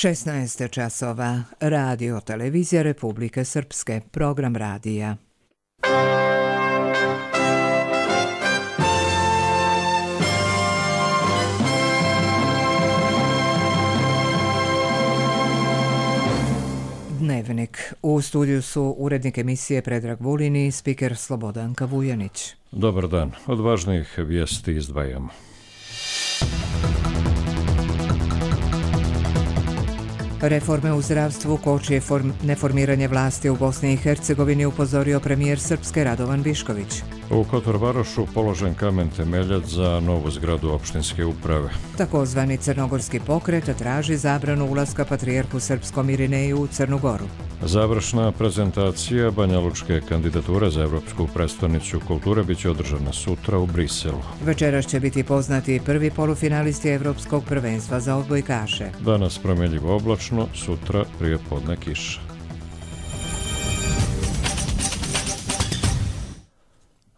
16 časova. Radio Televizija Republike Srpske. Program radija. Dnevnik. U studiju su urednik emisije Predrag Vulin i spiker Slobodanka Vujanić. Dobar dan. Od važnijih vijesti izdvajamo. Reforme u zdravstvu koči neformiranje vlasti u Bosni i Hercegovini, upozorio premijer Srpske Radovan Višković. U Kotorvarošu položen kamen temeljac za novu zgradu opštinske uprave. Takozvani crnogorski pokret traži zabranu ulaska patrijarhu srpskom Irineju u Crnu Goru. Završna prezentacija banjalučke kandidature za Evropsku prestonicu kulture biće održana sutra u Briselu. Večeras će biti poznati prvi polufinalisti Evropskog prvenstva za odbojkaše. Danas promjenjivo oblačno, sutra prijepodne kiša.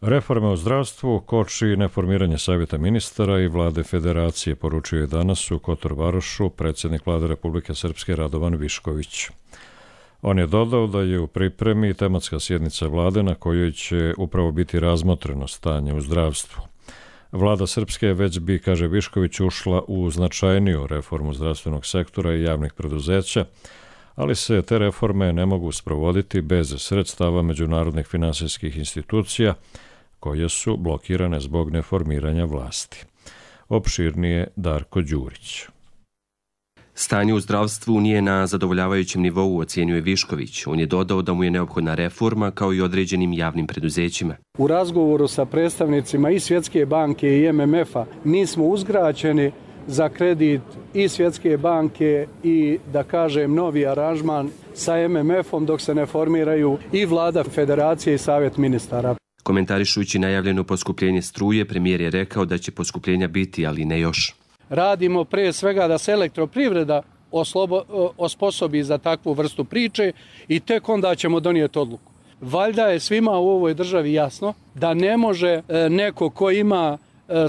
Reforme u zdravstvu koči neformiranje savjeta ministara i vlade federacije, poručio je danas u Kotorvarošu predsjednik vlade Republike Srpske Radovan Višković. On je dodao da je u pripremi tematska sjednica vlade na kojoj će upravo biti razmotreno stanje u zdravstvu. Vlada Srpske već bi, kaže Višković, ušla u značajniju reformu zdravstvenog sektora i javnih preduzeća, ali se te reforme ne mogu sprovoditi bez sredstava međunarodnih finansijskih institucija koje su blokirane zbog neformiranja vlasti. Opširnije Darko Đurić. Stanje u zdravstvu nije na zadovoljavajućem nivou, ocjenjuje Višković. On je dodao da mu je neophodna reforma kao i određenim javnim preduzećima. U razgovoru sa predstavnicima i Svjetske banke i MMF-a mi smo uzgraćeni za kredit i Svjetske banke i, da kažem, novi aranžman sa MMF-om dok se ne formiraju i vlada federacije i savjet ministara. Komentarišući najavljeno poskupljenje struje, premijer je rekao da će poskupljenja biti, ali ne još. Radimo pre svega da se elektroprivreda osposobi za takvu vrstu priče i tek onda ćemo donijeti odluku. Valjda je svima u ovoj državi jasno da ne može neko ko ima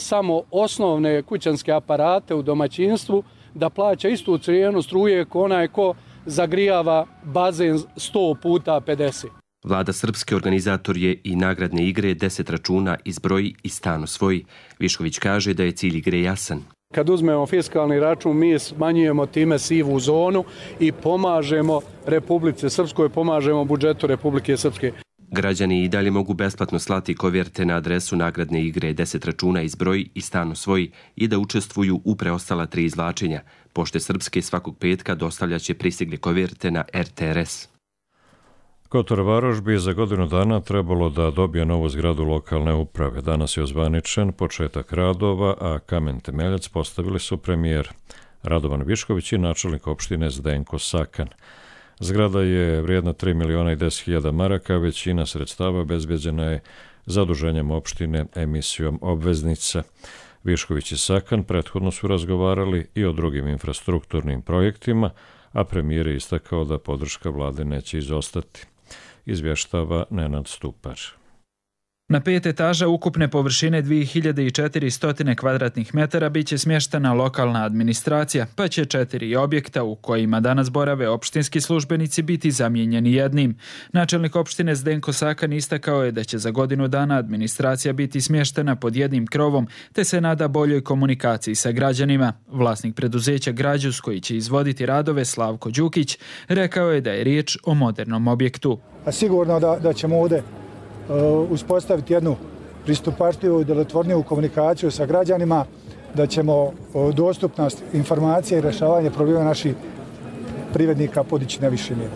samo osnovne kućanske aparate u domaćinstvu da plaća istu cijenu struje ko onaj ko zagrijava bazen 100 puta 50. Vlada Srpske organizator je i nagradne igre 10 računa izbroji i stan osvoji. Višković kaže da je cilj igre jasan. Kad uzmemo fiskalni račun, mi smanjujemo time sivu zonu i pomažemo Republici Srpskoj, pomažemo budžetu Republike Srpske. Građani i dalje mogu besplatno slati koverte na adresu nagradne igre 10 računa izbroji i stan osvoji i da učestvuju u preostala 3 izvlačenja. Pošte Srpske svakog petka dostavljaće pristigle koverte na RTRS. Kotorvaroš bi za godinu dana trebalo da dobije novu zgradu lokalne uprave. Danas je ozvaničen početak radova, a kamen temeljac postavili su premijer Radovan Višković i načelnik opštine Zdenko Sakan. Zgrada je vrijedna 3.010.000 maraka, većina sredstava obezbeđena je zaduženjem opštine emisijom obveznica. Višković i Sakan prethodno su razgovarali i o drugim infrastrukturnim projektima, a premijer je istakao da podrška vlade neće izostati. Izvještava Nenad Stupar. Na 5 etaža ukupne površine 2400 kvadratnih metara biće smještena lokalna administracija, pa će 4 objekta u kojima danas borave opštinski službenici biti zamijenjeni jednim. Načelnik opštine Zdenko Sakan istakao je da će za godinu dana administracija biti smještena pod jednim krovom, te se nada boljoj komunikaciji sa građanima. Vlasnik preduzeća Građus, koji će izvoditi radove, Slavko Đukić, rekao je da je riječ o modernom objektu. Sigurno da ćemo ovdje uspostaviti jednu pristupačljivu i djelotvorniju komunikaciju sa građanima, da ćemo dostupnost informacija i rješavanje problema naših privrednika podići na više mjere.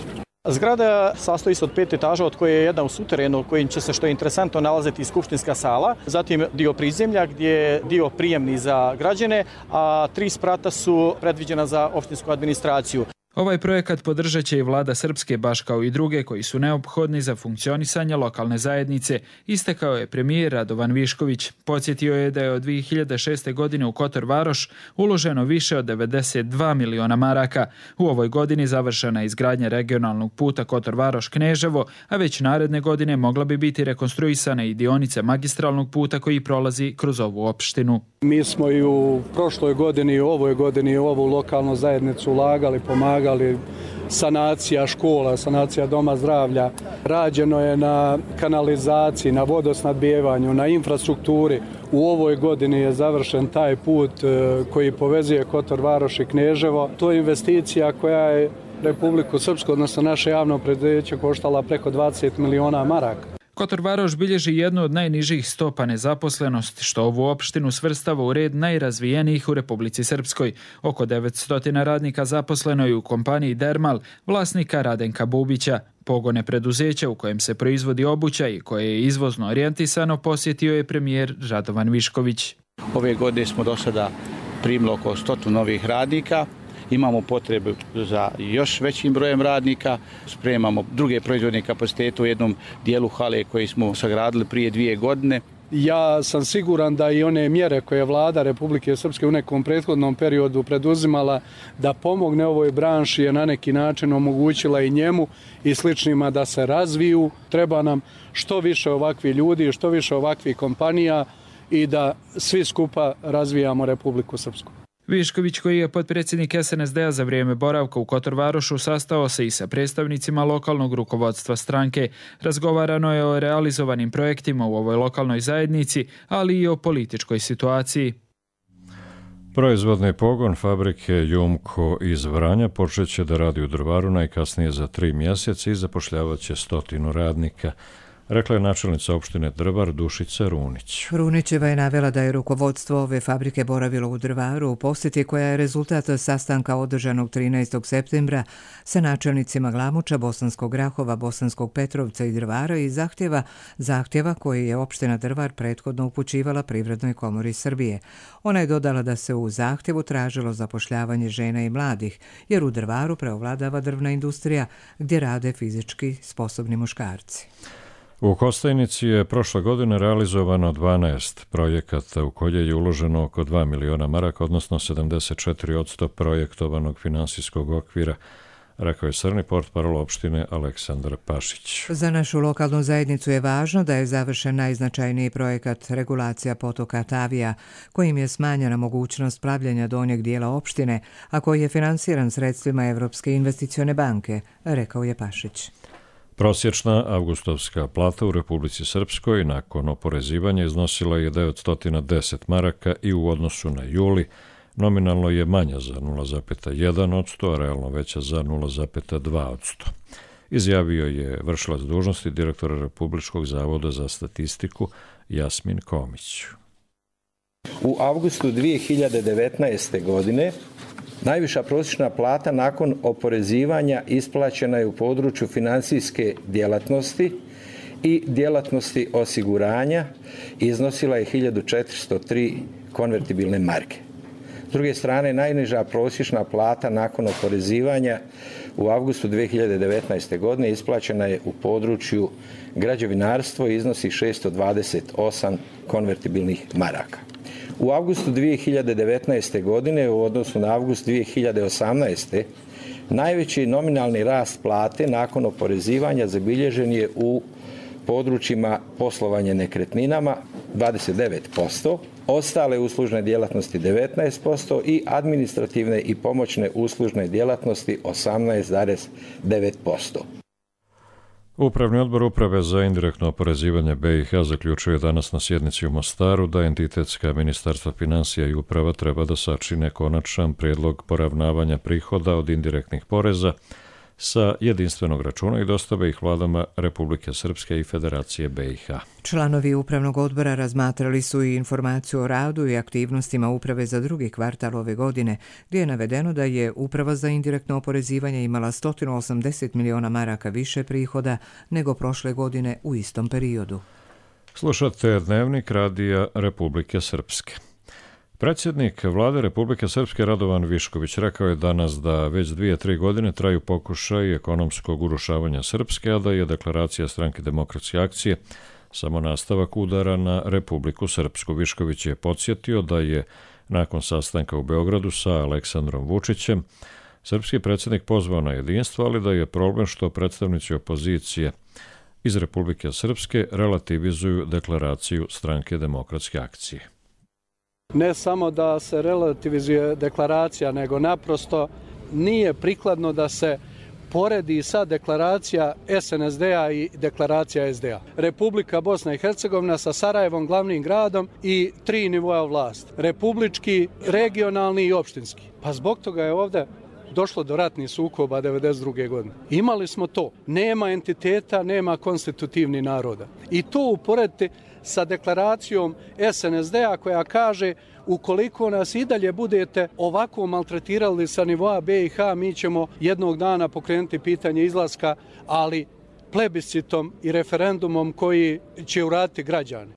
Zgrada sastoji se od 5 etaža, od koje je jedna u suterenu, kojim će se, što je interesantno, nalaziti skupštinska sala, zatim dio prizemlja gdje je dio prijemni za građane, a 3 sprata su predviđena za opštinsku administraciju. Ovaj projekat podržat će i vlada Srpske, baš kao i druge koji su neophodni za funkcionisanje lokalne zajednice, istakao je premijer Radovan Višković. Podsjetio je da je od 2006. godine u Kotor Varoš uloženo više od 92 miliona maraka. U ovoj godini završena je izgradnja regionalnog puta Kotor Varoš-Kneževo, a već naredne godine mogla bi biti rekonstruisana i dionica magistralnog puta koji prolazi kroz ovu opštinu. Mi smo i u prošloj godini i u ovoj godini u ovu lokalnu zajednicu ulagali, pomagali, sanacija škola, sanacija doma zdravlja. Rađeno je na kanalizaciji, na vodosnadbijevanju, na infrastrukturi. U ovoj godini je završen taj put koji povezuje Kotor Varoš i Kneževo. To je investicija koja je Republiku Srpsku, odnosno naše javno preduzeće, koštala preko 20 miliona maraka. Kotor Varoš bilježi jednu od najnižih stopa nezaposlenosti, što ovu opštinu svrstava u red najrazvijenijih u Republici Srpskoj. Oko 900 radnika zaposleno je u kompaniji Dermal, vlasnika Radenka Bubića. Pogone preduzeća u kojem se proizvodi obuća i koje je izvozno orijentisano posjetio je premijer Radovan Višković. Ove godine smo do sada primili oko 100 novih radnika. Imamo potrebu za još većim brojem radnika, spremamo druge proizvodne kapacitete u jednom dijelu hale koji smo sagradili prije 2 godine. Ja sam siguran da i one mjere koje je vlada Republike Srpske u nekom prethodnom periodu preduzimala da pomogne ovoj branši je na neki način omogućila i njemu i sličnima da se razviju. Treba nam što više ovakvih ljudi, što više ovakvih kompanija i da svi skupa razvijamo Republiku Srpsku. Višković, koji je potpredsjednik SNSD-a za vrijeme boravka u Kotor Varošu, sastao se i sa predstavnicima lokalnog rukovodstva stranke. Razgovarano je o realizovanim projektima u ovoj lokalnoj zajednici, ali i o političkoj situaciji. Proizvodni pogon fabrike Jumko iz Vranja počeće da radi u Drvaru najkasnije za 3 mjeseca i zapošljavaće 100 radnika, rekla je načelnica opštine Drvar Dušica Runić. Runićeva je navela da je rukovodstvo ove fabrike boravilo u Drvaru u posjeti koja je rezultat sastanka održanog 13. septembra sa načelnicima Glamuča, Bosanskog Grahova, Bosanskog Petrovca i Drvara i zahtjeva koji je opština Drvar prethodno upućivala Privrednoj komori Srbije. Ona je dodala da se u zahtjevu tražilo zapošljavanje žena i mladih, jer u Drvaru preovladava drvna industrija gdje rade fizički sposobni muškarci. U Kostajnici je prošle godine realizovano 12 projekata u koje je uloženo oko 2 miliona maraka, odnosno 74% projektovanog finansijskog okvira, rekao je srni portparol opštine Aleksandar Pašić. Za našu lokalnu zajednicu je važno da je završen najznačajniji projekat regulacija potoka Tavija, kojim je smanjena mogućnost plavljanja donjeg dijela opštine, a koji je finansiran sredstvima Evropske investicione banke, rekao je Pašić. Prosječna avgustovska plata u Republici Srpskoj nakon oporezivanja iznosila je 910 maraka i u odnosu na juli nominalno je manja za 0,1%, a realno veća za 0,2%. Izjavio je vršilac dužnosti direktora Republičkog zavoda za statistiku Jasmin Komić. U avgustu 2019. godine najviša prosječna plata nakon oporezivanja isplaćena je u području financijske djelatnosti i djelatnosti osiguranja i iznosila je 1403 konvertibilne marke. S druge strane, najniža prosječna plata nakon oporezivanja u avgustu 2019. godine isplaćena je u području građevinarstvo i iznosi 628 konvertibilnih maraka. U avgustu 2019. godine u odnosu na avgust 2018. najveći nominalni rast plate nakon oporezivanja zabilježen je u područjima poslovanja nekretninama 29%, ostale uslužne djelatnosti 19% i administrativne i pomoćne uslužne djelatnosti 18,9%. Upravni odbor Uprave za indirektno oporezivanje BiH zaključuje danas na sjednici u Mostaru da entitetska ministarstva financija i uprava treba da sačine konačan prijedlog poravnavanja prihoda od indirektnih poreza sa jedinstvenog računa i dostave ih vladama Republike Srpske i Federacije BiH. Članovi upravnog odbora razmatrali su i informaciju o radu i aktivnostima uprave za drugi kvartal ove godine, gdje je navedeno da je Uprava za indirektno oporezivanje imala 180 miliona maraka više prihoda nego prošle godine u istom periodu. Slušate Dnevnik radija Republike Srpske. Predsjednik vlade Republike Srpske Radovan Višković rekao je danas da već 2-3 godine traju pokušaj ekonomskog urušavanja Srpske, a da je deklaracija Stranke demokratske akcije samo nastavak udara na Republiku Srpsku. Višković je podsjetio da je nakon sastanka u Beogradu sa Aleksandrom Vučićem srpski predsjednik pozvao na jedinstvo, ali da je problem što predstavnici opozicije iz Republike Srpske relativizuju deklaraciju Stranke demokratske akcije. Ne samo da se relativizuje deklaracija, nego naprosto nije prikladno da se poredi sa deklaracija SNSD-a i deklaracija SDA. Republika Bosna i Hercegovina sa Sarajevom, glavnim gradom, i 3 nivoa vlasti. Republički, regionalni i opštinski. Pa zbog toga je ovdje došlo do ratnih sukoba 1992. godine. Imali smo to. Nema entiteta, nema konstitutivnih naroda. I to uporediti sa deklaracijom SNSD-a koja kaže ukoliko nas i dalje budete ovako maltretirali sa nivoa BiH, mi ćemo jednog dana pokrenuti pitanje izlaska, ali plebiscitom i referendumom koji će uraditi građani.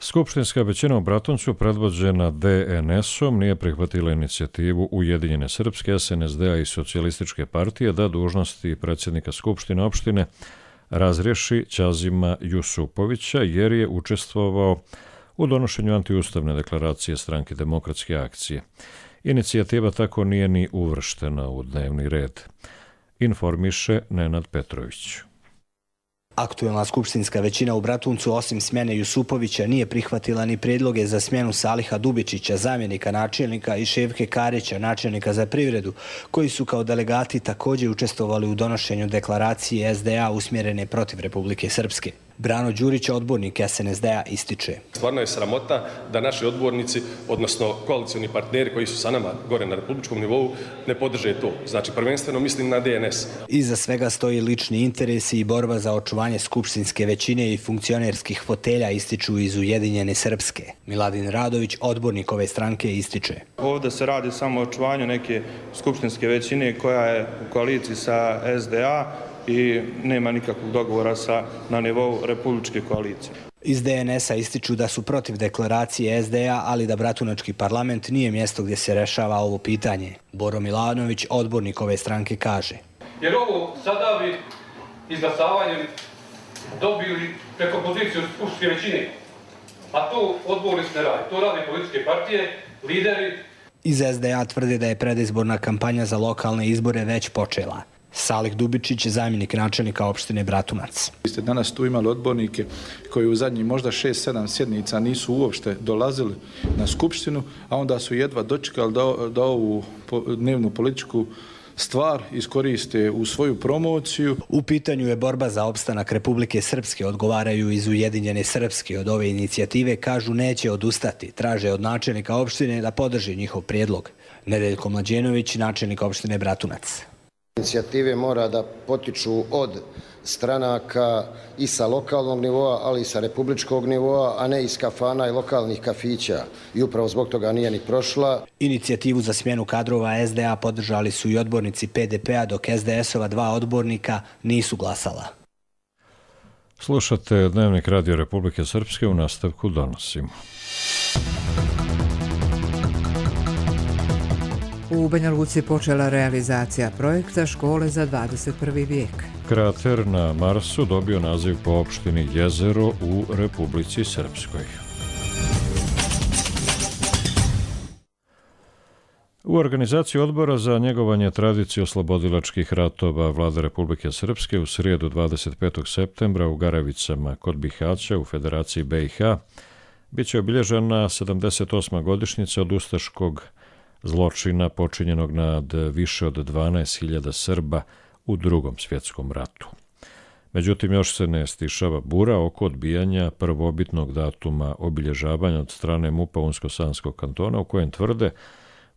Skupštinska većina u Bratuncu, predvođena DNS-om, nije prihvatila inicijativu Ujedinjene Srpske, SNSD-a i Socijalističke partije da dužnosti predsjednika Skupštine opštine razriješi Ćazima Jusupovića jer je učestvovao u donošenju antiustavne deklaracije Stranke demokratske akcije. Inicijativa tako nije ni uvrštena u dnevni red. Informiše Nenad Petrović. Aktuelna skupštinska većina u Bratuncu osim smjene Jusupovića nije prihvatila ni prijedloge za smjenu Saliha Dubičića, zamjenika načelnika, i Ševke Karića, načelnika za privredu, koji su kao delegati također učestvovali u donošenju deklaracije SDA usmjerene protiv Republike Srpske. Brano Đurić, odbornik SNSD-a, ističe. Stvarno je sramota da naši odbornici, odnosno koalicioni partneri koji su sa nama gore na republičkom nivou, ne podrže to. Znači, prvenstveno mislim na DNS. Iza svega stoji lični interesi i borba za očuvanje skupštinske većine i funkcionerskih fotelja, ističu iz Ujedinjene Srpske. Miladin Radović, odbornik ove stranke, ističe. Ovdje se radi samo o očuvanju neke skupštinske većine koja je u koaliciji sa SDA i nema nikakvog dogovora na nivou republičke koalicije. Iz DNS-a ističu da su protiv deklaracije SDA, ali da Bratunački parlament nije mjesto gdje se rešava ovo pitanje. Boro Milanović, odbornik ove stranke, kaže. Jer ovo sada bi izglasavanjem dobili preko poziciju skupštinske većine. A to odbornici ne radi. To rade političke partije, lideri. Iz SDA tvrde da je predizborna kampanja za lokalne izbore već počela. Salih Dubičić, zamjenik načelnika opštine Bratunac. Vi ste danas tu imali odbornike koji u zadnjih možda 6-7 sjednica nisu uopšte dolazili na skupštinu, a onda su jedva dočekali da ovu dnevnu političku stvar iskoriste u svoju promociju. U pitanju je borba za opstanak Republike Srpske, odgovaraju iz Ujedinjene Srpske. Od ove inicijative kažu neće odustati, traže od načelnika opštine da podrži njihov prijedlog. Nedeljko Mlađenović, načelnik opštine Bratunac. Inicijative mora da potiču od stranaka i sa lokalnog nivoa, ali i sa republičkog nivoa, a ne iz kafana i lokalnih kafića. I upravo zbog toga nije ni prošla. Inicijativu za smjenu kadrova SDA podržali su i odbornici PDP-a, dok SDS-ova 2 odbornika nisu glasala. Slušate Dnevnik Radio Republike Srpske, u nastavku donosimo. U Banja Luci počela realizacija projekta Škole za 21. vijek. Krater na Marsu dobio naziv po opštini Jezero u Republici Srpskoj. U organizaciji odbora za njegovanje tradicije oslobodilačkih ratova Vlade Republike Srpske u srijedu 25. septembra u Garavicama kod Bihaća u Federaciji BiH biće obilježena 78. godišnjica od ustaškog zločina počinjenog nad više od 12.000 Srba u Drugom svjetskom ratu. Međutim, još se ne stišava bura oko odbijanja prvobitnog datuma obilježavanja od strane MUP-a Unsko-Sanskog kantona, u kojem tvrde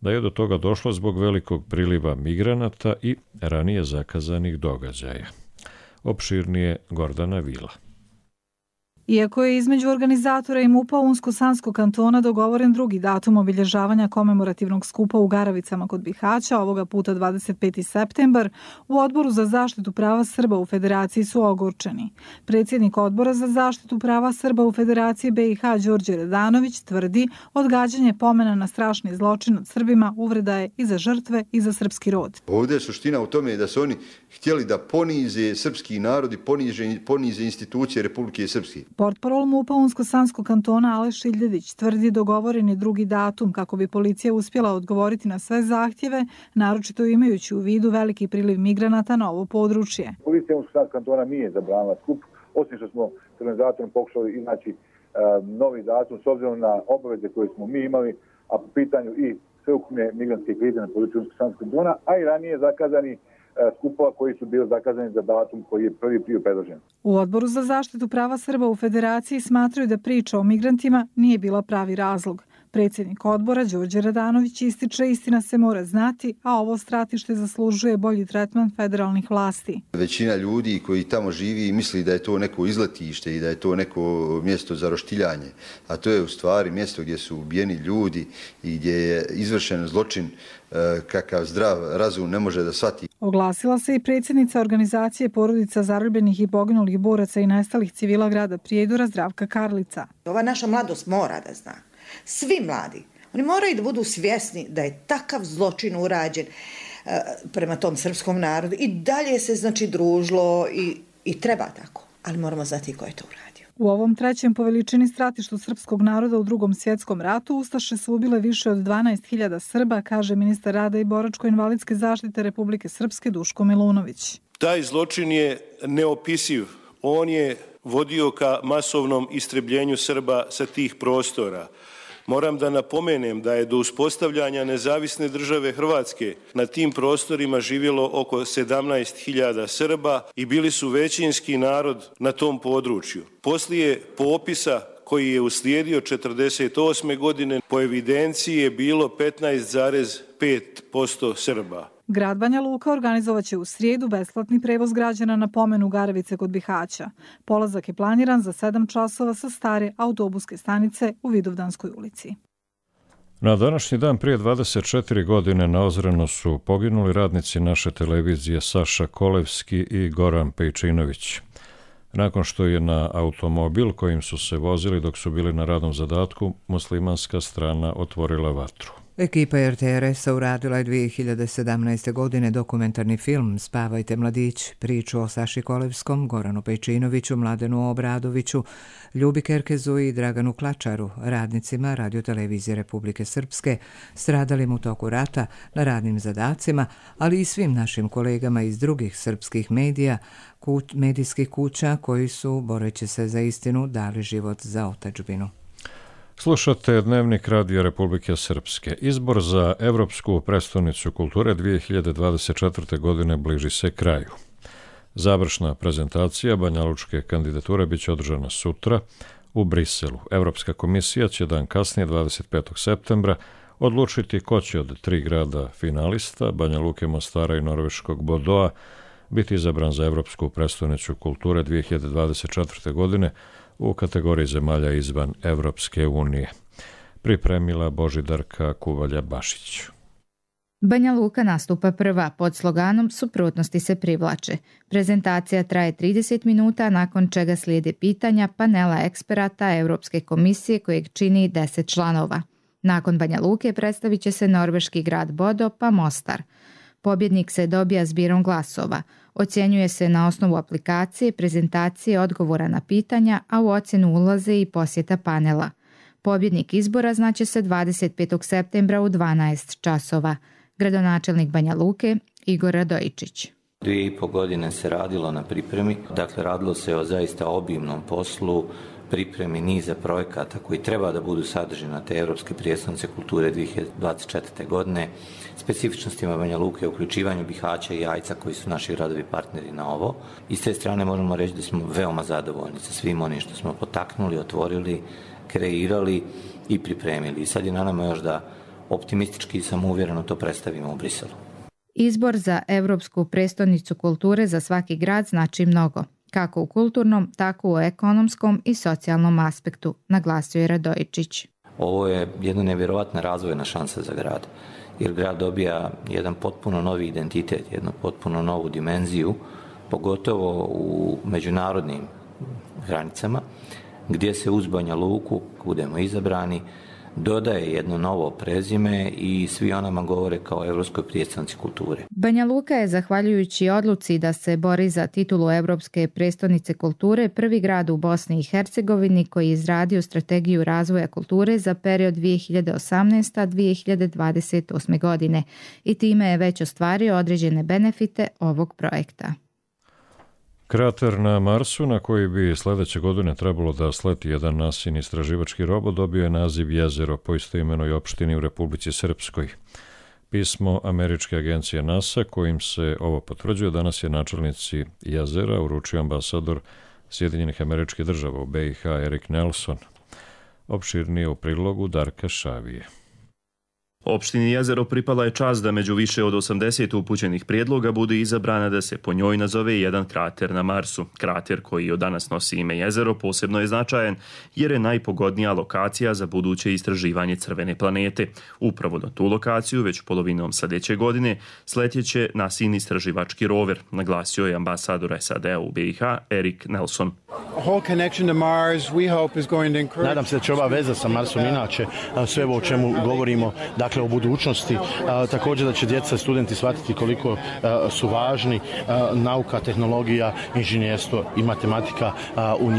da je do toga došlo zbog velikog priliva migranata i ranije zakazanih događaja. Opširnije Gordana Vila. Iako je između organizatora i MUP-a Unsko-Sanskog kantona dogovoren drugi datum obilježavanja komemorativnog skupa u Garavicama kod Bihaća, ovoga puta 25. septembar, u Odboru za zaštitu prava Srba u Federaciji su ogorčeni. Predsjednik Odbora za zaštitu prava Srba u Federaciji BiH Đorđe Radanović tvrdi odgađanje pomena na strašni zločin nad Srbima uvreda je i za žrtve i za srpski rod. Ovdje je suština u tome da su oni htjeli da ponize srpski narod i ponize institucije Republike Srpske. Portparol MUP-a Unsko-Sanskog kantona Aleš Iljedić tvrdi dogovoren je drugi datum kako bi policija uspjela odgovoriti na sve zahtjeve, naročito imajući u vidu veliki priliv migranata na ovo područje. Policija Unsko-Sanskog kantona nije zabranila skup, osim što smo s organizatorom pokušali iznaći novi datum s obzirom na obaveze koje smo mi imali, a po pitanju i sveukupne migrantske krize na području Unsko-Sanskog kantona, a i ranije zakazani skupova koji su bili zakazani za datum koji je prvi bio predložen. U Odboru za zaštitu prava Srba u Federaciji smatraju da priča o migrantima nije bila pravi razlog. Predsjednik odbora Đorđe Radanović ističe istina se mora znati, a ovo stratište zaslužuje bolji tretman federalnih vlasti. Većina ljudi koji tamo živi misli da je to neko izletište i da je to neko mjesto za roštiljanje, a to je u stvari mjesto gdje su ubijeni ljudi i gdje je izvršen zločin kakav zdrav razum ne može da shvati. Oglasila se i predsjednica organizacije porodica zarobljenih i poginulih boraca i nestalih civila grada Prijedora Zdravka Karlica. Ova naša mladost mora da zna. Svi mladi, oni moraju da budu svjesni da je takav zločin urađen prema tom srpskom narodu i dalje se znači družilo i treba tako, ali moramo znati ko je to uradio. U ovom trećem po veličini stratištu srpskog naroda u Drugom svjetskom ratu ustaše su ubile više od 12.000 Srba, kaže ministar rada i boračko-invalidske zaštite Republike Srpske Duško Milunović. Taj zločin je neopisiv. On je vodio ka masovnom istrebljenju Srba sa tih prostora. Moram da napomenem da je do uspostavljanja nezavisne države Hrvatske na tim prostorima živjelo oko 17.000 Srba i bili su većinski narod na tom području. Poslije popisa koji je uslijedio 1948. godine, po evidenciji je bilo 15,5% Srba. Grad Banja Luka organizovaće u srijedu besplatni prevoz građana na pomenu Garavice kod Bihaća. Polazak je planiran za 7 časova sa stare autobuske stanice u Vidovdanskoj ulici. Na današnji dan prije 24 godine na Ozrenu su poginuli radnici naše televizije Saša Kolevski i Goran Pejčinović. Nakon što je na automobil kojim su se vozili dok su bili na radnom zadatku, muslimanska strana otvorila vatru. Ekipa RTRS-a uradila je 2017. godine dokumentarni film Spavajte mladić, priču o Saši Kolevskom, Goranu Pejčinoviću, Mladenu Obradoviću, Ljubi Kerkezu i Draganu Klačaru, radnicima Radiotelevizije Republike Srpske, stradalim u toku rata na radnim zadacima, ali i svim našim kolegama iz drugih srpskih medija, medijskih kuća koji su, boreći se za istinu, dali život za otadžbinu. Slušate Dnevnik Radija Republike Srpske. Izbor za Evropsku prestonicu kulture 2024. godine bliži se kraju. Završna prezentacija banjalučke kandidature biće održana sutra u Briselu. Evropska komisija će dan kasnije, 25. septembra, odlučiti ko će od 3 grada finalista, Banja Luke, Mostara i norveškog Bodoa, biti izabran za Evropsku prestonicu kulture 2024. godine u kategoriji zemalja izvan Evropske unije. Pripremila Božidarka Kuvalja-Bašić. Banja Luka nastupa prva pod sloganom Suprotnosti se privlače. Prezentacija traje 30 minuta, nakon čega slijede pitanja panela eksperata Europske komisije kojeg čini 10 članova. Nakon Banja Luke predstavit će se norveški grad Bodo pa Mostar. Pobjednik se dobija zbirom glasova. Ocjenjuje se na osnovu aplikacije, prezentacije, odgovora na pitanja, a u ocjenu ulaze i posjeta panela. Pobjednik izbora znaće se 25. septembra u 12 časova. Gradonačelnik Banja Luke Igor Radojičić. 2,5 godine se radilo na pripremi, dakle radilo se o zaista obimnom poslu, pripremi niza projekata koji treba da budu sadržani na te Evropske prijestolnice kulture 2024. godine, specifičnostima Banja Luke, uključivanju Bihaća i Jajca koji su naši gradovi partneri na ovo. I s te strane možemo reći da smo veoma zadovoljni sa svim onim što smo potaknuli, otvorili, kreirali i pripremili. I sad je na nama još da optimistički i samouvjereno to predstavimo u Briselu. Izbor za Evropsku prestonicu kulture za svaki grad znači mnogo. kako u kulturnom, tako u ekonomskom i socijalnom aspektu, naglasio je Radojičić. Ovo je jedna nevjerovatna razvojna šansa za grad, jer grad dobija jedan potpuno novi identitet, jednu potpuno novu dimenziju, pogotovo u međunarodnim granicama, gdje se uz Banja Luku, budemo izabrani, dodaje jedno novo prezime i svi o nama govore kao Evropskoj prijestolnici kulture. Banja Luka je, zahvaljujući odluci da se bori za titulu Evropske prijestolnice kulture, prvi grad u Bosni i Hercegovini koji je izradio strategiju razvoja kulture za period 2018-2028. godine i time je već ostvario određene benefite ovog projekta. Krater na Marsu, na koji bi sljedeće godine trebalo da sleti jedan NASIN istraživački robot, dobio je naziv Jezero po istoimenoj opštini u Republici Srpskoj. Pismo američke agencije NASA, kojim se ovo potvrđuje, danas je načelnici Jezera uručio ambasador Sjedinjenih Američkih Država u BiH Erik Nelson. Opširnije u prilogu Darka Šavije. Opštini Jezero pripala je čast da među više od 80 upućenih prijedloga bude izabrana da se po njoj nazove jedan krater na Marsu. Krater koji od danas nosi ime Jezero posebno je značajan jer je najpogodnija lokacija za buduće istraživanje crvene planete. Upravo na tu lokaciju već polovinom sljedeće godine sletjeće NASIN istraživački rover, naglasio je ambasador SAD-a u BiH Erik Nelson. Nadam se da će ova veza sa Marsom inače sve ovo o čemu govorimo, dakle o budućnosti, također da će djeca i studenti shvatiti koliko su važni nauka, tehnologija, inženjerstvo i matematika u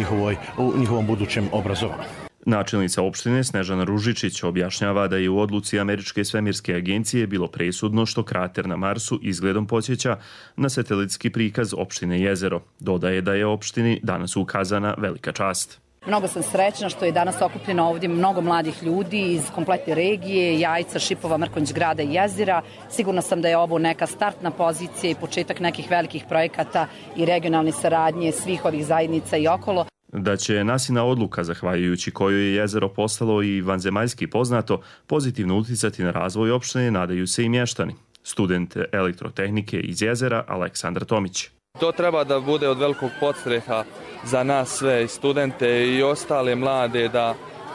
njihovom budućem obrazovanju. Načelnica opštine Snežana Ružičić objašnjava da je u odluci Američke svemirske agencije bilo presudno što krater na Marsu izgledom podsjeća na satelitski prikaz opštine Jezero. Dodaje da je opštini danas ukazana velika čast. Mnogo sam srećna što je danas okupljeno ovdje mnogo mladih ljudi iz kompletne regije, Jajca, Šipova, Mrkonjić grada i Jezera. Sigurna sam da je ovo neka startna pozicija i početak nekih velikih projekata i regionalne saradnje svih ovih zajednica i okolo. Da će NASINa odluka, zahvaljujući kojoj je Jezero postalo i vanzemaljski poznato, pozitivno uticati na razvoj opštine, nadaju se i mještani. Student elektrotehnike iz Jezera Aleksandar Tomić. To treba da bude od velikog podstreha za nas sve, i studente i ostale mlade,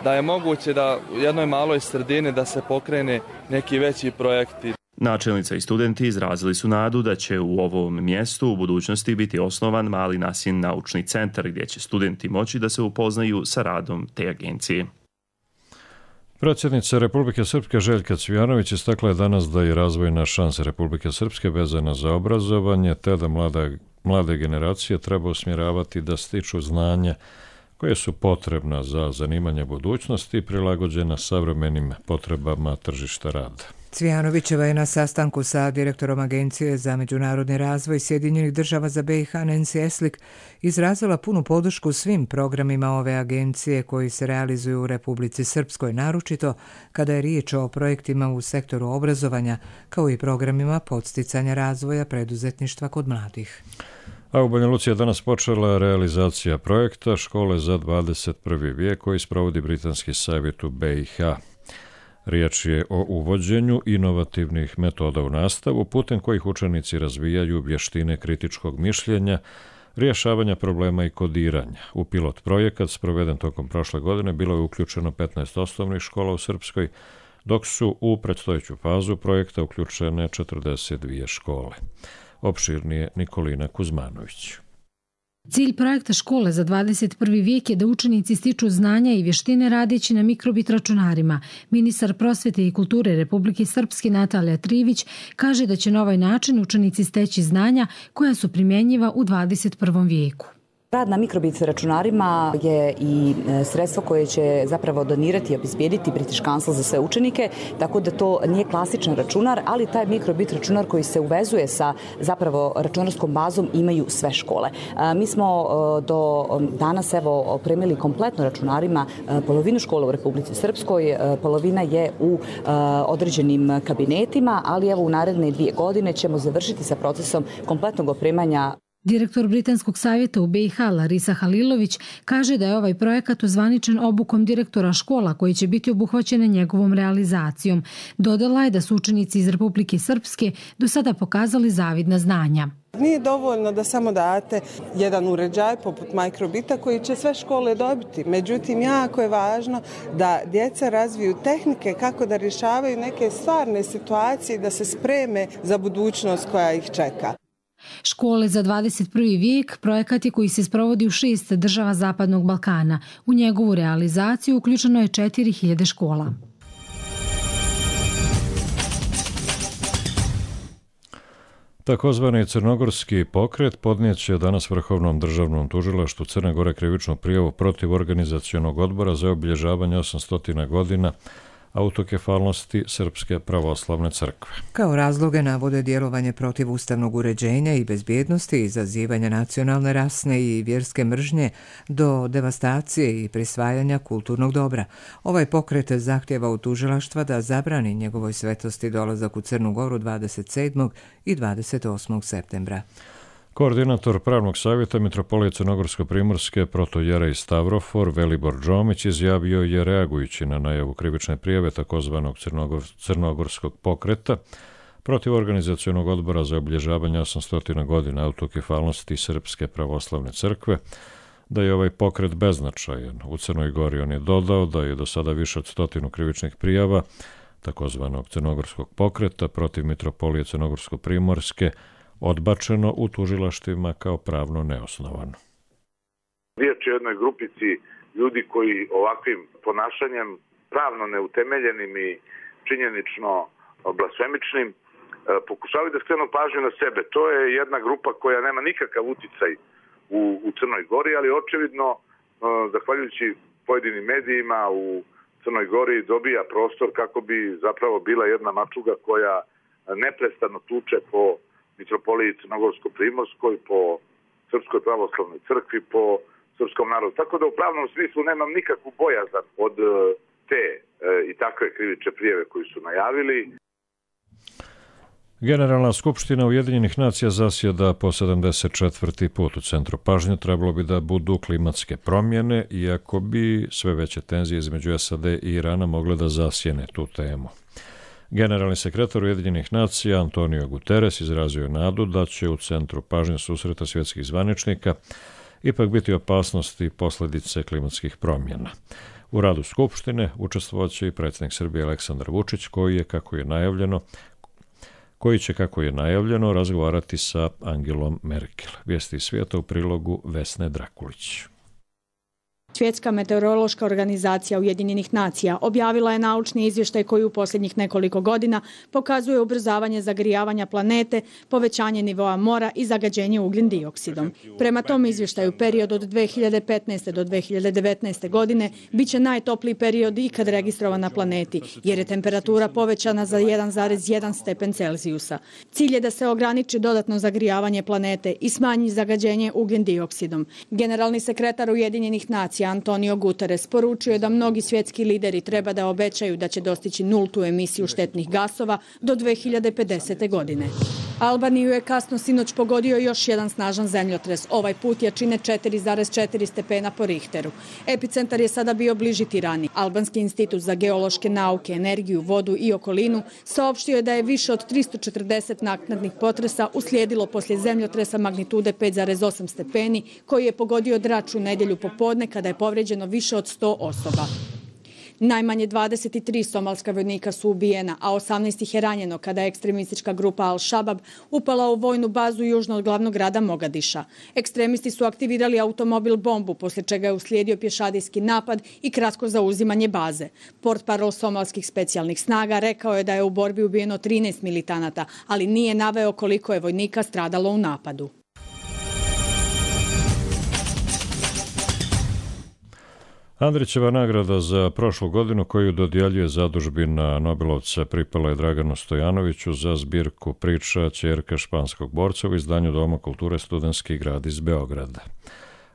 da je moguće da u jednoj maloj sredini da se pokrene neki veći projekti. Načelnica i studenti izrazili su nadu da će u ovom mjestu u budućnosti biti osnovan mali NASIN naučni centar gdje će studenti moći da se upoznaju sa radom te agencije. Predsjednica Republike Srpske Željka Cvijanović istakla je danas da je razvojna šansa Republike Srpske vezana za obrazovanje, te da mlade generacije treba usmjeravati da stiču znanja koje su potrebna za zanimanje budućnosti i prilagođena savremenim potrebama tržišta rada. Cvijanovićeva je na sastanku sa direktorom Agencije za međunarodni razvoj Sjedinjenih država za BiH Nancy Eslik izrazila punu podršku svim programima ove agencije koji se realizuju u Republici Srpskoj, naročito kada je riječ o projektima u sektoru obrazovanja, kao i programima podsticanja razvoja preduzetništva kod mladih. A u Banja Luci je danas počela realizacija projekta Škole za 21. vijek koji sprovodi Britanski savjet u BiH. Riječ je o uvođenju inovativnih metoda u nastavu, putem kojih učenici razvijaju vještine kritičkog mišljenja, rješavanja problema i kodiranja. U pilot projekat sproveden tokom prošle godine bilo je uključeno 15 osnovnih škola u Srpskoj, dok su u predstojeću fazu projekta uključene 42 škole. Opširnije Nikolina Kuzmanović. Cilj projekta Škole za 21. vijek je da učenici stiču znanja i vještine radeći na mikrobit računarima. Ministar prosvjete i kulture Republike Srpske Natalija Trivić kaže da će na ovaj način učenici steći znanja koja su primjenjiva u 21. vijeku. Rad na mikrobit računarima je i sredstvo koje će zapravo donirati i obezbijediti British Council za sve učenike, tako da to nije klasičan računar, ali taj mikrobit računar koji se uvezuje sa zapravo računarskom bazom imaju sve škole. Mi smo do danas opremili kompletno računarima polovinu škola u Republici Srpskoj, polovina je u određenim kabinetima, ali u naredne 2 godine ćemo završiti sa procesom kompletnog opremanja Direktor Britanskog savjeta u BiH Larisa Halilović kaže da je ovaj projekat ozvaničen obukom direktora škola koji će biti obuhvaćene njegovom realizacijom. Dodala je da su učenici iz Republike Srpske do sada pokazali zavidna znanja. Nije dovoljno da samo date jedan uređaj poput mikrobita koji će sve škole dobiti. Međutim, jako je važno da djeca razviju tehnike kako da rješavaju neke stvarne situacije, da se spreme za budućnost koja ih čeka. Škole za 21. vijek projekat je koji se sprovodi u 6 država Zapadnog Balkana. U njegovu realizaciju uključeno je 4000 škola. Takozvani crnogorski pokret podnijeće danas Vrhovnom državnom tužilaštvu Crne Gore krivičnu prijavu protiv organizacionog odbora za obilježavanje 800 godina autokefalnosti Srpske pravoslavne crkve. Kao razloge navode djelovanje protiv ustavnog uređenja i bezbjednosti, izazivanja nacionalne, rasne i vjerske mržnje do devastacije i prisvajanja kulturnog dobra. Ovaj pokret zahtjeva u tužilaštva da zabrani njegovoj svetosti dolazak u Crnu Goru 27. i 28. septembra. Koordinator pravnog savjeta Mitropolije Crnogorsko-primorske protojerej Stavrofor Velibor Džomić izjavio je, reagujući na najavu krivične prijave takozvanog crnogorskog pokreta protiv organizacionog odbora za obilježavanje 800 godina autokefalnosti Srpske pravoslavne crkve, da je ovaj pokret beznačajan. U Crnoj Gori on je dodao da je do sada više od 100 krivičnih prijava takozvanog crnogorskog pokreta protiv Mitropolije Crnogorsko-primorske odbačeno u tužilaštvima kao pravno neosnovano. Riječ je o jednoj grupici ljudi koji ovakvim ponašanjem, pravno neutemeljenim i činjenično blasfemičnim, pokušavaju da skrenu pažnju na sebe. To je jedna grupa koja nema nikakav uticaj u Crnoj Gori, ali očevidno, zahvaljujući pojedinim medijima, u Crnoj Gori dobija prostor kako bi zapravo bila jedna mačuga koja neprestano tuče po Mitropoliji Crnogorsko-primorskoj, po Srpskoj pravoslavnoj crkvi, po srpskom narodu. Tako da u pravnom smislu nemam nikakvu bojazan od te i takve krivične prijave koju su najavili. Generalna skupština Ujedinjenih nacija zasjeda po 74. put. U centru pažnje trebalo bi da budu klimatske promjene, iako bi sve veće tenzije između SAD i Irana mogle da zasjene tu temu. Generalni sekretar Ujedinjenih nacija Antonio Guterres izrazio je nadu da će u centru pažnje susreta svjetskih zvaničnika ipak biti opasnosti i posljedice klimatskih promjena. U radu Skupštine učestvovaće i predsjednik Srbije Aleksandar Vučić, koji će, kako je najavljeno, razgovarati sa Angelom Merkel. Vijesti iz svijeta u prilogu Vesne Drakulić. Svjetska meteorološka organizacija Ujedinjenih nacija objavila je naučni izvještaj koji u posljednjih nekoliko godina pokazuje ubrzavanje zagrijavanja planete, povećanje nivoa mora i zagađenje ugljen dioksidom. Prema tom izvještaju period od 2015. do 2019. godine biće najtopliji period ikad registrovan na planeti, jer je temperatura povećana za 1,1 stepen Celzijusa. Cilj je da se ograniči dodatno zagrijavanje planete i smanji zagađenje ugljen dioksidom. Generalni sekretar Ujedinjenih nacija Antonio Guterres poručio je da mnogi svjetski lideri treba da obećaju da će dostići nultu emisiju štetnih gasova do 2050. godine. Albaniju je kasno sinoć pogodio još jedan snažan zemljotres. Ovaj put jačine 4,4 stepena po Richteru. Epicentar je sada bio bliži Tirani. Albanski institut za geološke nauke, energiju, vodu i okolinu saopštio je da je više od 340 naknadnih potresa uslijedilo poslije zemljotresa magnitude 5,8 stepeni koji je pogodio Drač u nedjelju popodne kada je povrijeđeno više od 100 osoba. Najmanje 23 somalska vojnika su ubijena, a 18 ih je ranjeno kada je ekstremistička grupa Al-Shabaab upala u vojnu bazu južno od glavnog grada Mogadiša. Ekstremisti su aktivirali automobil bombu, poslije čega je uslijedio pješadijski napad i kratko zauzimanje baze. Portparol somalskih specijalnih snaga rekao je da je u borbi ubijeno 13 militanata, ali nije naveo koliko je vojnika stradalo u napadu. Andrićeva nagrada za prošlu godinu koju dodjeljuje zadužbina Nobelovca pripala je Draganu Stojanoviću za zbirku priča Ćerka španskog borca u izdanju Doma kulture Studentski grad iz Beograda.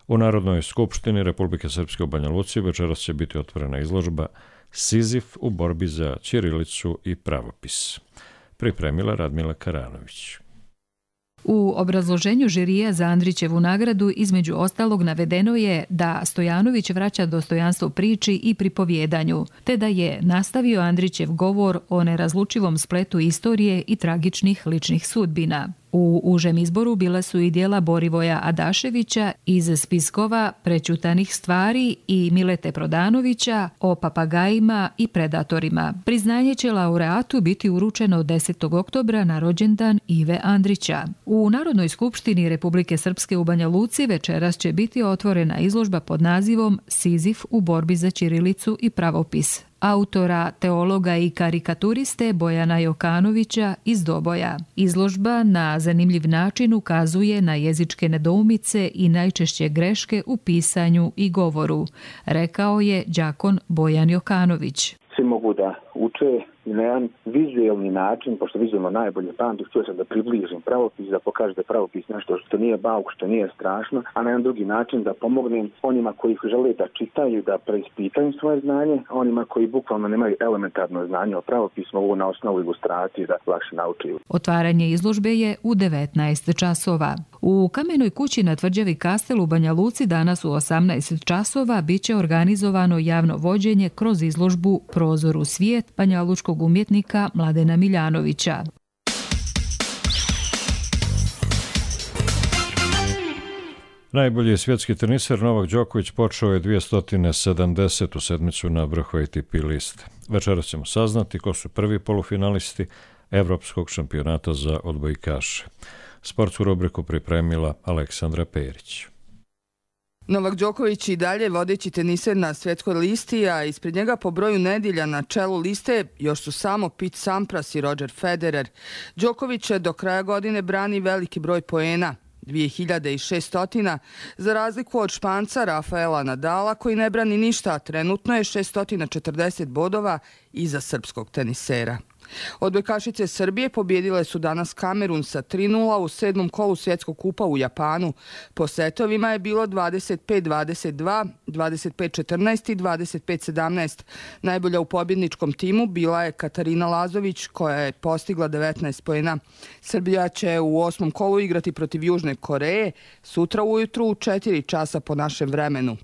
U Narodnoj skupštini Republike Srpske u Banja Luci večeras će biti otvorena izložba Sizif u borbi za ćirilicu i pravopis. Pripremila Radmila Karanović. U obrazloženju žirija za Andrićevu nagradu između ostalog navedeno je da Stojanović vraća dostojanstvo priči i pripovjedanju, te da je nastavio Andrićev govor o nerazlučivom spletu istorije i tragičnih ličnih sudbina. U užem izboru bila su i dijela Borivoja Adaševića iz spiskova Prećutanih stvari i Milete Prodanovića o papagajima i predatorima. Priznanje će laureatu biti uručeno 10. oktobra na rođendan Ive Andrića. U Narodnoj skupštini Republike Srpske u Banja Luci večeras će biti otvorena izložba pod nazivom Sizif u borbi za ćirilicu i pravopis autora, teologa i karikaturiste Bojana Jokanovića iz Doboja. Izložba na zanimljiv način ukazuje na jezičke nedoumice i najčešće greške u pisanju i govoru, rekao je đakon Bojan Jokanović. Svi mogu da uče i na jedan vizuelni način, pošto vizualno najbolje pamtim, htio sam da približim pravopis, da pokažem da je pravopis nešto što nije bauk, što nije strašno, a na jedan drugi način da pomognem onima koji žele da čitaju, da preispitaju svoje znanje, a onima koji bukvalno nemaju elementarno znanje o pravopisu, mogu na osnovu ilustracije da lakše naučiju. Otvaranje izložbe je u 19 časova. U Kamenoj kući na tvrđavi Kastel u Banja Luci danas u 18 časova biće organizovano javno vođenje kroz izložbu Prozor u svijet banjalučkog umjetnika Mladena Miljanovića. Najbolji svjetski teniser Novak Đoković počeo je 270. sedmicu na vrhu ATP liste. Večeras ćemo saznati ko su prvi polufinalisti Evropskog šampionata za odbojkaše. Sportsku rubriku pripremila Aleksandra Perić. Novak Đoković i dalje vodeći teniser na svjetskoj listi, a ispred njega po broju nedjelja na čelu liste još su samo Pete Sampras i Roger Federer. Đoković do kraja godine brani veliki broj poena, 2600, za razliku od Španca Rafaela Nadala koji ne brani ništa, a trenutno je 640 bodova iza srpskog tenisera. Odbojkašice Srbije pobjedile su danas Kamerun sa 3:0 u 7. kolu svjetskog kupa u Japanu. Po setovima je bilo 25-22, 25-14 i 25-17. Najbolja u pobjedničkom timu bila je Katarina Lazović koja je postigla 19 poena. Srbija će u 8. kolu igrati protiv Južne Koreje sutra ujutru u 4 časa po našem vremenu.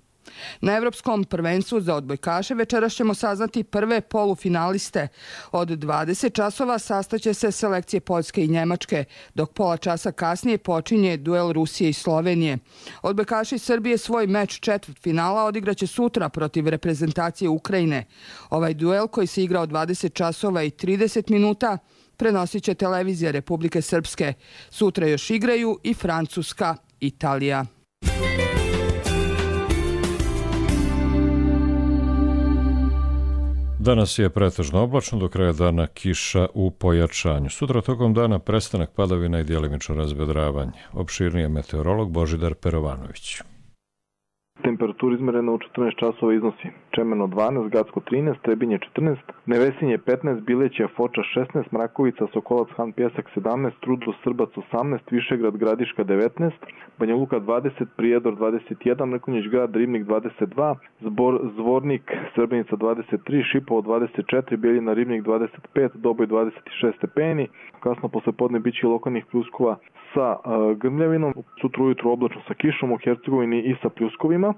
Na Evropskom prvenstvu za odbojkaše večeras ćemo saznati prve polufinaliste. Od 20 časova sastaće se selekcije Poljske i Njemačke, dok pola časa kasnije počinje duel Rusije i Slovenije. Odbojkaši Srbije svoj meč četvrtfinala odigraće sutra protiv reprezentacije Ukrajine. Ovaj duel koji se igra od 20 časova i 30 minuta prenosit će televizija Republike Srpske. Sutra još igraju i Francuska, Italija. Danas je pretežno oblačno, do kraja dana kiša u pojačanju. Sutra tokom dana prestanak padavina i djelimično razvedravanje. Opširnije meteorolog Božidar Perovanović. Temperatura izmerena u 14 časova iznosi Čemeno 12, Gacko 13, Trebinje 14, Nevesinje 15, Bileća, Foča 16, Mrakovica, Sokolac, Han Pjesak 17, Trudlo, Srbac 18, Višegrad, Gradiška 19, Banja Luka 20, Prijedor 21, Mrkonjić grad, Ribnik 22, Zvornik, Srbenica 23, Šipovo 24, Bijeljina, Ribnik 25, Doboj 26 stepeni. Kasno posle podne biće lokalnih pljuskova sa grmljavinom, sutra ujutru oblačno sa kišom u Hercegovini i sa pljuskovima.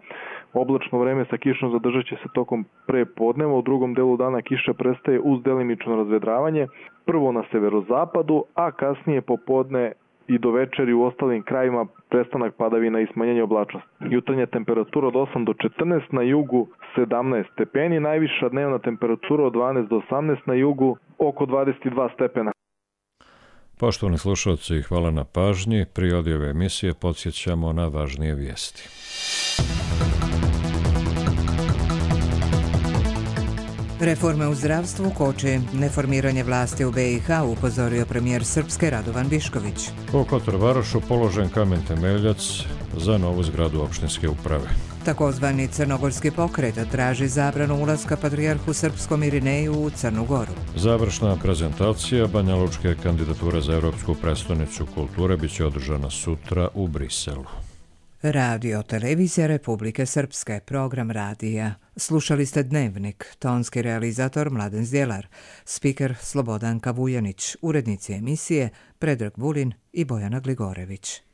Oblačno vreme sa kišom zadržat će se tokom prepodneva, u drugom delu dana kiša prestaje uz delimično razvedravanje, prvo na severozapadu, a kasnije popodne i do večeri u ostalim krajima prestanak padavina i smanjenje oblačnosti. Jutarnja temperatura od 8 do 14, na jugu 17 stepeni, najviša dnevna temperatura od 12 do 18, na jugu oko 22 stepena. Poštovani slušalci, hvala na pažnji. Pri ove emisije podsjećamo na važnije vijesti. Reforme u zdravstvu koče neformiranje vlasti u BiH, upozorio premijer Srpske Radovan Višković. U Kotor-Varošu položen kamen temeljac za novu zgradu opštinske uprave. Takozvani crnogorski pokret traži zabranu ulaska patrijarhu srpskom Irineju u Crnu Goru. Završna prezentacija banjalučke kandidature za Evropsku prestonicu kulture biće održana sutra u Briselu. Radio Televizija Republike Srpske, program radija. Slušali ste Dnevnik, tonski realizator Mladen Zdjelar, spiker Slobodanka Vujanić, urednici emisije Predrag Vulin i Bojana Gligorević.